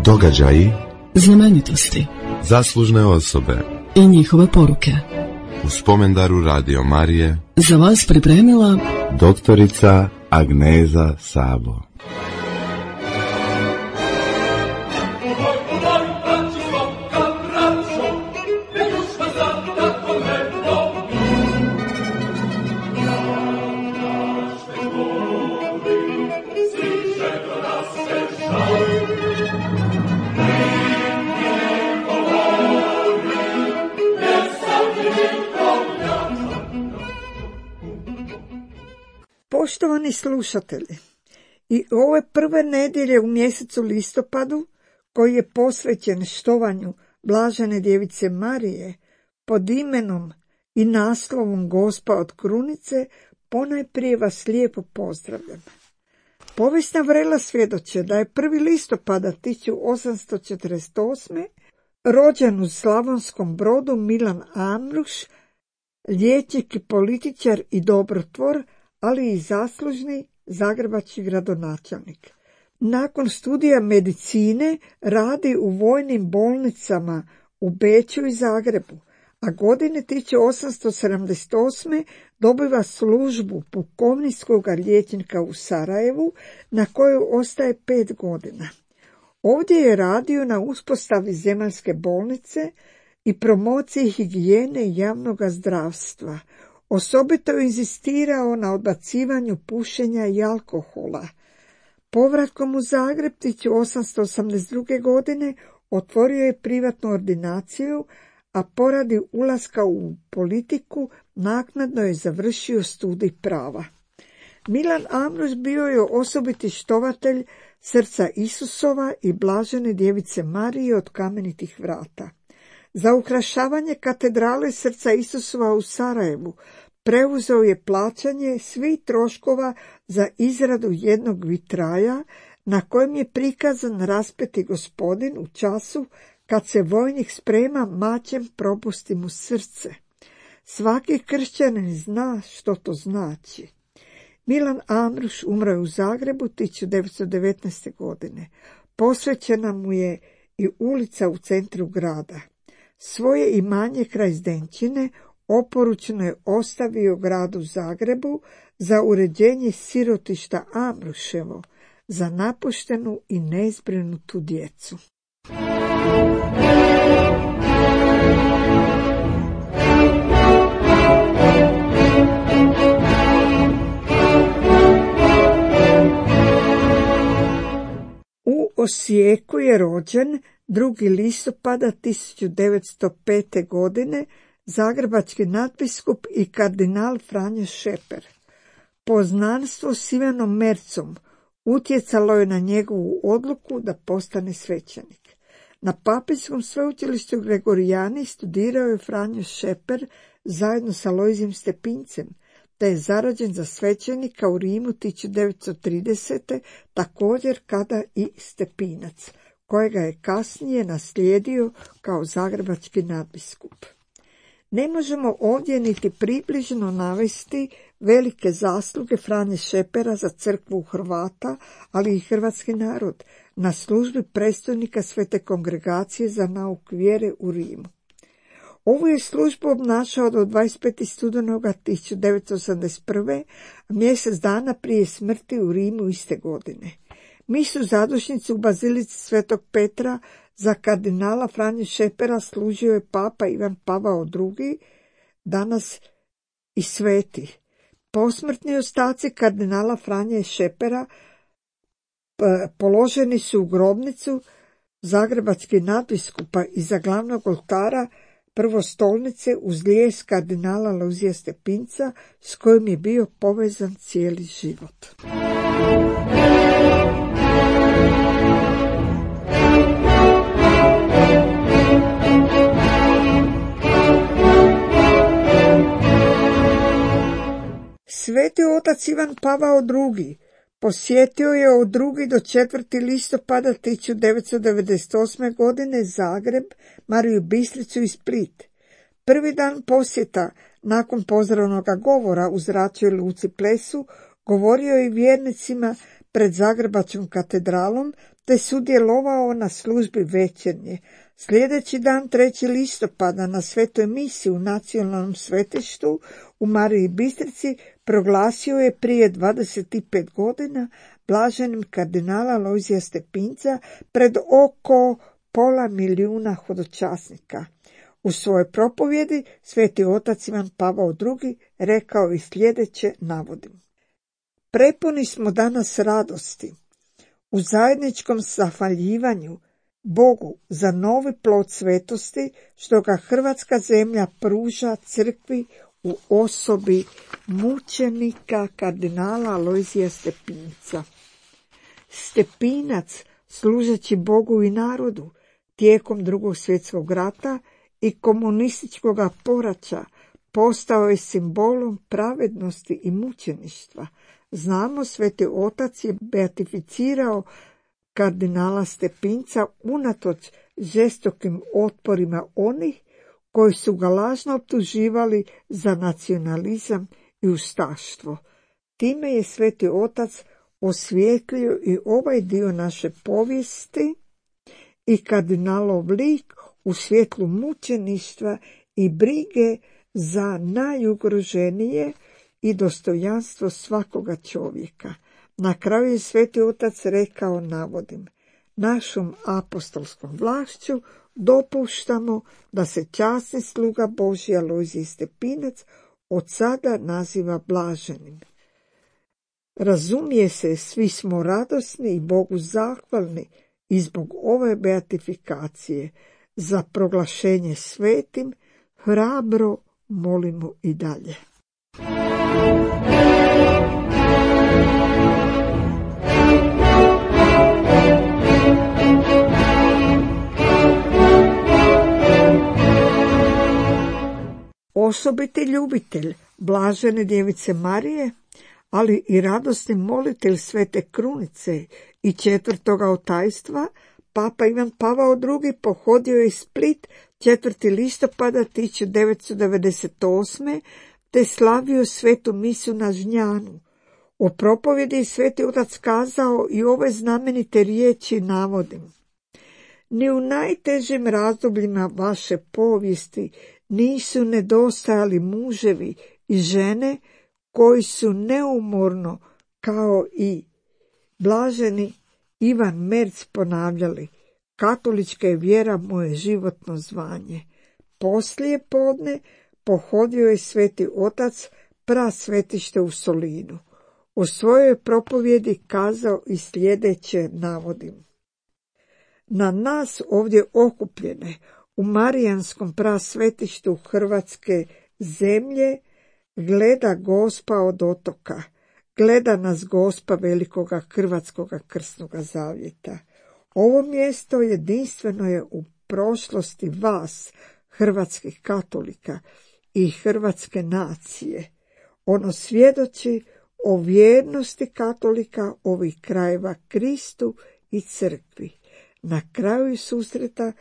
Događaji, znamenitosti, zaslužne osobe i njihove poruke. U spomendaru Radio Marije Za vas pripremila doktorica Agneza Sabo. Poštovani slušatelji, i ove prve nedjelje u mjesecu listopadu, koji je posvećen štovanju Blažene djevice Marije, pod imenom i naslovom Gospa od krunice, ponajprije vas lijepo pozdravljam. Povijesna vrela svjedoče da je 1. listopada 1848. rođen u Slavonskom Brodu Milan Amruš, liječnik i političar i dobrotvor, ali i zaslužni zagrebački gradonačelnik. Nakon studija medicine radi u vojnim bolnicama u Beču i Zagrebu, a godine 1878. dobiva službu pukovničkog liječnika u Sarajevu, na koju ostaje 5 godina. Ovdje je radio na uspostavi zemaljske bolnice i promociji higijene i javnog zdravstva. Osobito je inzistirao na odbacivanju pušenja i alkohola. Povratkom u Zagreb 1882. godine otvorio je privatnu ordinaciju, a poradi ulaska u politiku naknadno je završio studij prava. Milan Amruš bio je osobiti štovatelj srca Isusova i Blažene djevice Marije od Kamenitih vrata. Za ukrašavanje katedrale srca Isusova u Sarajevu preuzeo je plaćanje svih troškova za izradu jednog vitraja na kojem je prikazan raspeti gospodin u času kad se vojnik sprema mačem propusti mu srce. Svaki kršćanin zna što to znači. Milan Amruš umro je u Zagrebu 1919. godine. Posvećena mu je i ulica u centru grada. Svoje imanje kraj Zdenčine oporučno je ostavio gradu Zagrebu za uređenje sirotišta Amruševo, za napuštenu i nezbrinutu djecu. U Osijeku je rođen 2. listopada 1905. godine zagrebački nadbiskup i kardinal Franjo Šeper. Poznanstvo s Ivanom Mercom utjecalo je na njegovu odluku da postane svećenik. Na Papijskom sveučilištu Gregorijani studirao je Franjo Šeper zajedno sa Alojzijem Stepincem, te je zarađen za svećenika u Rimu 1930. također kada i Stepinac, kojega je kasnije naslijedio kao zagrebački nadbiskup. Ne možemo ovdje niti približno navesti velike zasluge Franje Šepera za crkvu Hrvata, ali i hrvatski narod, na službi predstojnika Svete kongregacije za nauk vjere u Rimu. Ovu je službu obnašao do 25. studenoga 1981. mjesec dana prije smrti u Rimu iste godine. Misu zadušnicu u bazilici Svetog Petra za kardinala Franju Šepera služio je papa Ivan Pavao II, danas i sveti. Posmrtni ostaci kardinala Franje Šepera položeni su u grobnicu zagrebačkih nadbiskupa iza glavnog oltara prvostolnice uz lijes kardinala Alojzija Stepinca, s kojim je bio povezan cijeli život. Sveti otac Ivan Pavao II posjetio je od 2. do 4. listopada 1998. godine Zagreb, Mariju Bistricu i Split. Prvi dan posjeta, nakon pozdravnog govora u zračnoj luci Plesu, govorio je vjernicima pred Zagrebačkom katedralom te sudjelovao na službi večernje. Sljedeći dan 3. listopada na svetoj misi u nacionalnom svetištu u Mariji Bistrici proglasio je prije 25 godina blaženim kardinala Lojzija Stepinca pred oko 500.000 hodočasnika. U svojoj propovjedi sveti otac Ivan Pavao II rekao i sljedeće, navodim. Prepuni smo danas radosti u zajedničkom zahvaljivanju Bogu za novi plod svetosti što ga hrvatska zemlja pruža crkvi u osobi mučenika kardinala Lojzija Stepinca. Stepinac, služeći Bogu i narodu tijekom Drugog svjetskog rata i komunističkog poraća, postao je simbolom pravednosti i mučeništva. Znamo, sveti otac je beatificirao kardinala Stepinca unatoč žestokim otporima onih koji su ga lažno optuživali za nacionalizam i ustaštvo. Time je sveti otac osvijetlio i ovaj dio naše povijesti i kardinalov lik u svjetlu mučeništva i brige za najugroženije i dostojanstvo svakoga čovjeka. Na kraju je sveti otac rekao, navodim, našom apostolskom vlašću dopuštamo da se časni sluga Božji Alojzij Stepinac od sada naziva blaženim. Razumije se, svi smo radosni i Bogu zahvalni i zbog ove beatifikacije za proglašenje svetim hrabro molimo i dalje. Osobiti ljubitelj blažene djevice Marije, ali i radosni molitelj Svete Krunice i 4. otajstva, Papa Ivan Pavao II pohodio je Split 4. listopada 1998. te slavio svetu misu na Žnjanu. O propovjedi je sveti otac kazao i ove znamenite riječi, navodim. Ni u najtežim razdobljima vaše povijesti nisu nedostajali muževi i žene koji su neumorno, kao i blaženi Ivan Merz, ponavljali, katolička je vjera moje životno zvanje. Poslije podne pohodio je sveti otac prasvetište u Solinu. U svojoj propovjedi kazao i sljedeće, navodim. Na nas ovdje okupljene u Marijanskom prasvetištu Hrvatske zemlje gleda Gospa od otoka, gleda nas Gospa velikoga Hrvatskoga krsnoga zavjeta. Ovo mjesto jedinstveno je u prošlosti vas, hrvatskih katolika i hrvatske nacije. Ono svjedoči o vjernosti katolika ovih krajeva Kristu i crkvi. Na kraju susreta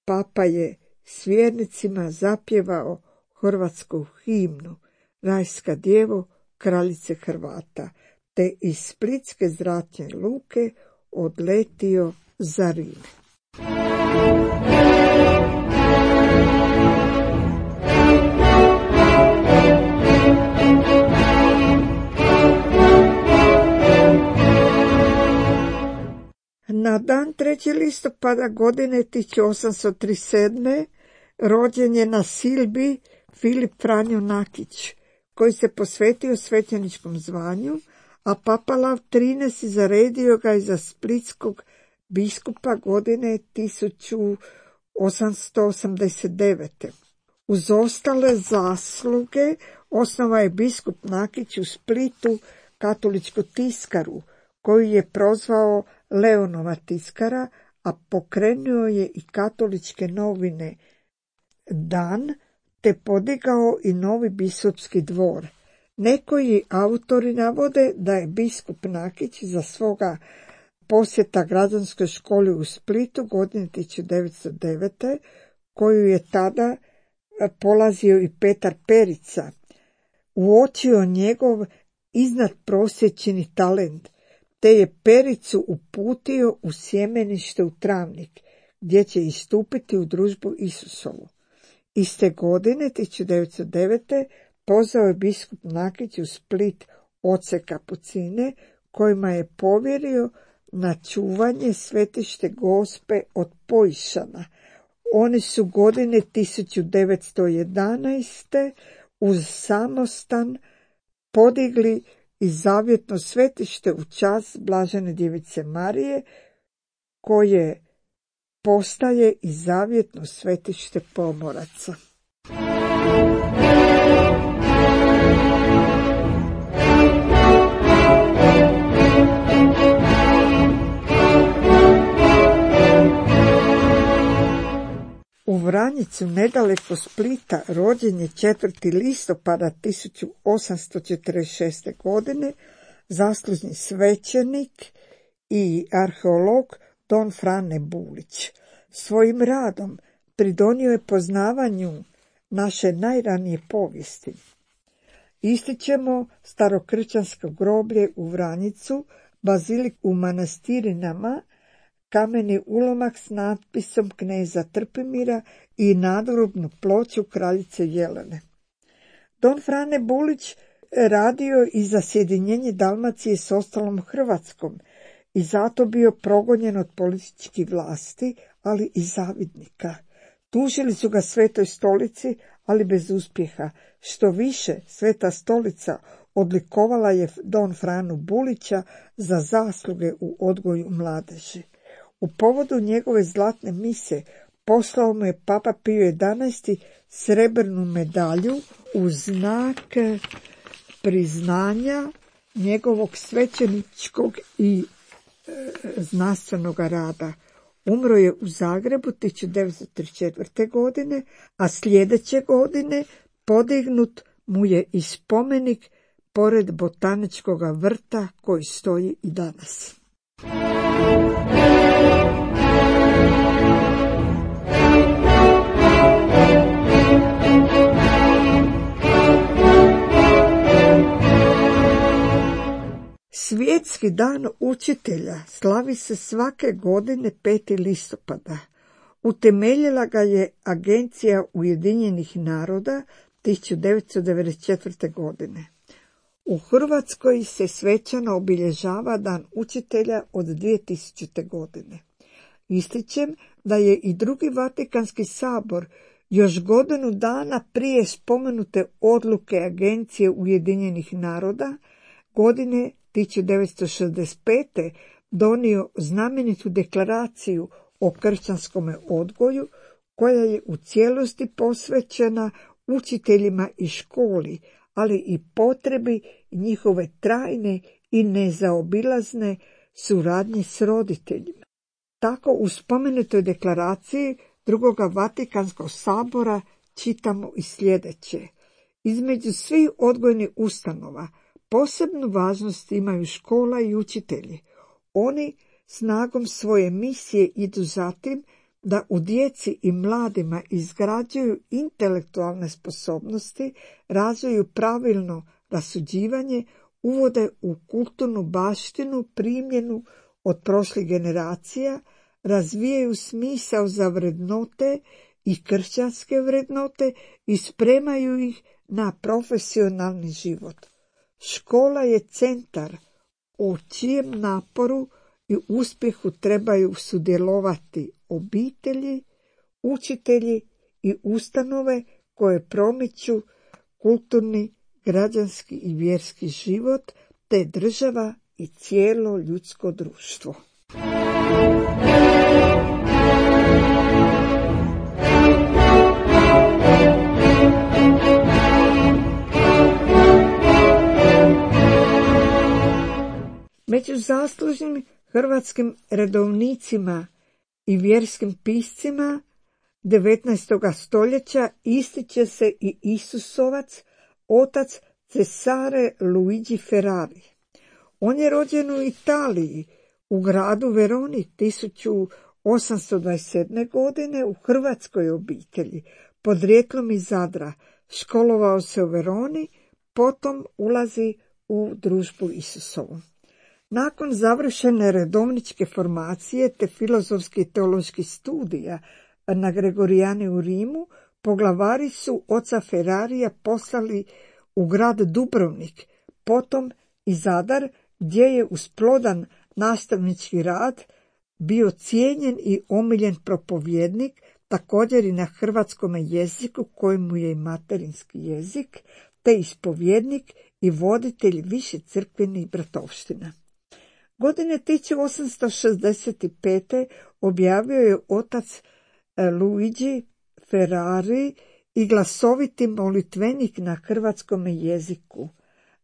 Papa je s vjernicima zapjevao hrvatsku himnu Rajska djevo, kraljice Hrvata, te iz Splitske zračne luke odletio za Rim. Na dan 3. listopada godine 1837. rođen je na Silbi Filip Franjo Nakić, koji se posvetio svećeničkom zvanju, a Papa Lav XIII zaredio ga je za splitskog biskupa godine 1889. Uz ostale zasluge osnovao je biskup Nakić u Splitu katoličku tiskaru, koju je prozvao Leonova tiskara, a pokrenuo je i katoličke novine Dan, te podigao i novi biskupski dvor. Nekoji autori navode da je biskup Nakić za svoga posjeta građanskoj školi u Splitu godine 1909. koju je tada polazio i Petar Perica, uočio njegov iznadprosječni talent, te je Pericu uputio u sjemenište u Travnik, gdje će istupiti u družbu Isusovu. Iste godine, 1909. pozvao je biskup Nakić u Split oce kapucine, kojima je povjerio na čuvanje svetište Gospe od Pojšana. Oni su godine 1911. uz samostan podigli i zavjetno svetište u čast Blažene djevice Marije, koje postaje i zavjetno svetište pomoraca. U Vranjicu, nedaleko Splita, rođen je 4. listopada 1846. godine zaslužni svećenik i arheolog don Frane Bulić. Svojim radom pridonio je poznavanju naše najranije povijesti. Ističemo starokršćansko groblje u Vranjicu, bazilik u Manastirinama, kameni ulomak s natpisom kneza Trpimira i nadgrobnu ploču kraljice Jelene. Don Frane Bulić radio i za sjedinjenje Dalmacije s ostalom Hrvatskom i zato bio progonjen od političkih vlasti, ali i zavidnika. Tužili su ga Svetoj stolici, ali bez uspjeha. Što više, Sveta stolica odlikovala je Don Franu Bulića za zasluge u odgoju mladeži. U povodu njegove zlatne mise poslao mu je Papa Pio XI srebrnu medalju u znak priznanja njegovog svećeničkog i znanstvenog rada. Umro je u Zagrebu 1934. godine, a sljedeće godine podignut mu je i spomenik pored botaničkog vrta koji stoji i danas. Svjetski dan učitelja slavi se svake godine 5. listopada. Utemeljila ga je Agencija Ujedinjenih naroda 1994. godine. U Hrvatskoj se svečano obilježava Dan učitelja od 2000. godine. Ističem da je i Drugi Vatikanski sabor još godinu dana prije spomenute odluke Agencije Ujedinjenih naroda godine 1965. donio znamenitu deklaraciju o kršćanskome odgoju, koja je u cijelosti posvećena učiteljima i školi, ali i potrebi njihove trajne i nezaobilazne suradnje s roditeljima. Tako u spomenutoj deklaraciji Drugoga Vatikanskog sabora čitamo i sljedeće. Između svih odgojnih ustanova posebnu važnost imaju škola i učitelji. Oni snagom svoje misije idu za tim da u djeci i mladima izgrađuju intelektualne sposobnosti, razviju pravilno rasuđivanje, uvode u kulturnu baštinu primjenu od prošlih generacija, razvijaju smisao za vrednote i kršćanske vrednote i spremaju ih na profesionalni život. Škola je centar u čijem naporu i uspjehu trebaju sudjelovati obitelji, učitelji i ustanove koje promiču kulturni, građanski i vjerski život, te država i cijelo ljudsko društvo. Među zaslužnim hrvatskim redovnicima i vjerskim piscima 19. stoljeća ističe se i Isusovac, otac Cesare Luigi Ferrari. On je rođen u Italiji, u gradu Veroni 1827. godine u hrvatskoj obitelji, podrijetlom iz Zadra. Školovao se u Veroni, potom ulazi u družbu Isusovu. Nakon završene redovničke formacije te filozofskih i teoloških studija na Gregorijani u Rimu, poglavari su oca Ferrarija poslali u grad Dubrovnik, potom i Zadar, gdje je uz plodan nastavnički rad bio cijenjen i omiljen propovjednik, također i na hrvatskom jeziku, kojemu je i materinski jezik, te ispovjednik i voditelj više crkvenih bratovština. Godine 1865. objavio je otac Luigi Ferrari i glasoviti molitvenik na hrvatskom jeziku,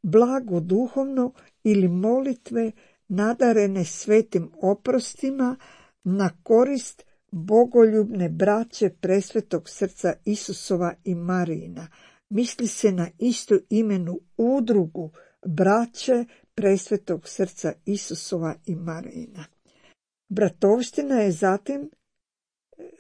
blago duhovno ili molitve nadarene svetim oprostima na korist bogoljubne braće Presvetog srca Isusova i Marijina. Misli se na istu imenu udrugu braće Presvetog srca Isusova i Marijina. Bratovština je zatim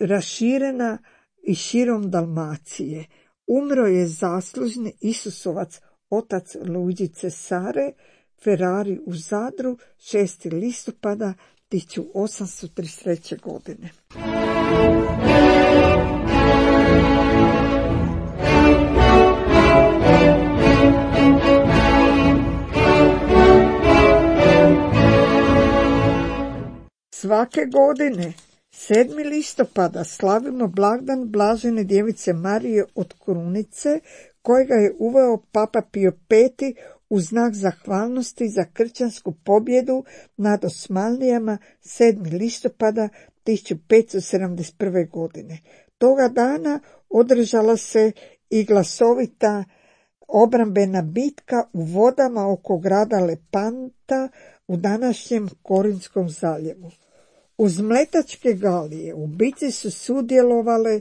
raširena i širom Dalmacije. Umro je zaslužni Isusovac otac Luigi Cesare Ferrari u Zadru 6. listopada 1833. godine. Svake godine 7. listopada slavimo blagdan Blažene djevice Marije od Krunice, kojega je uveo Papa Pio V u znak zahvalnosti za kršćansku pobjedu nad Osmanlijama 7. listopada 1571. godine. Toga dana održala se i glasovita obrambena bitka u vodama oko grada Lepanta u današnjem Korinskom zaljevu. Uz mletačke galije u bitci su sudjelovale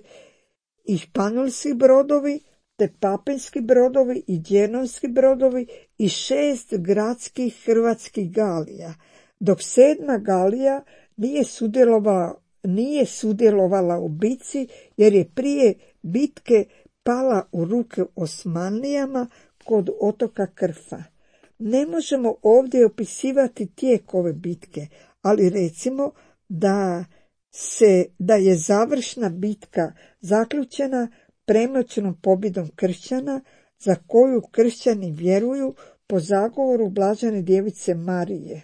i španjolski brodovi, te papinski brodovi i djenovski brodovi i 6 gradskih hrvatskih galija, dok 7. galija nije sudjelovala u bitci jer je prije bitke pala u ruke Osmanlijama kod otoka Krfa. Ne možemo ovdje opisivati tijek ove bitke, ali recimo da je završna bitka zaključena premoćnom pobjedom kršćana, za koju kršćani vjeruju po zagovoru Blažene djevice Marije.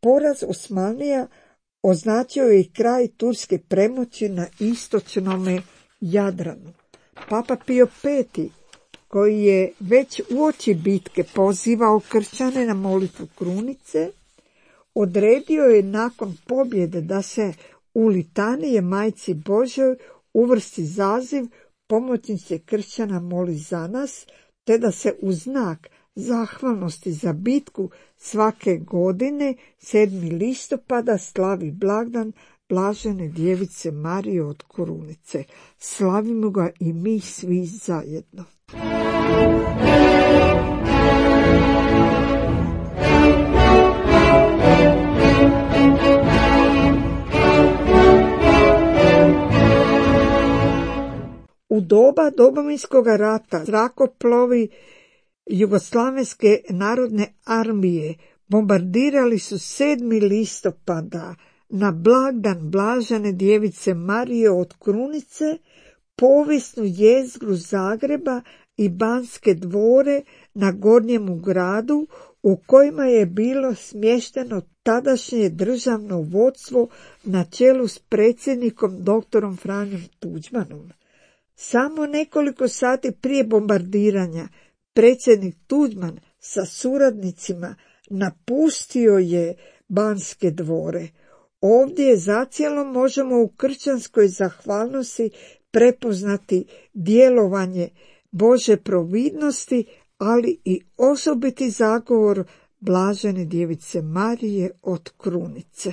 Poraz Osmanlija označio je i kraj turske premoći na istočnom Jadranu. Papa Pio V, koji je već uoči bitke pozivao kršćane na molitvu krunice, odredio je nakon pobjede da se u litanije Majci Božoj uvrsti zaziv pomoćnice kršćana moli za nas, te da se u znak zahvalnosti za bitku svake godine 7. listopada slavi blagdan Blažene djevice Marije od Krunice. Slavimo ga i mi svi zajedno. U doba Domovinskog rata zrakoplovi Jugoslavenske narodne armije bombardirali su 7. listopada na blagdan Blažene djevice Marije od Krunice povijesnu jezgru Zagreba i Banske dvore na Gornjemu gradu, u kojima je bilo smješteno tadašnje državno vodstvo na čelu s predsjednikom doktorom Franjom Tuđmanom. Samo nekoliko sati prije bombardiranja predsjednik Tuđman sa suradnicima napustio je Banske dvore. Ovdje zacijelo možemo u kršćanskoj zahvalnosti prepoznati djelovanje Bože providnosti, ali i osobiti zagovor Blažene djevice Marije od Krunice.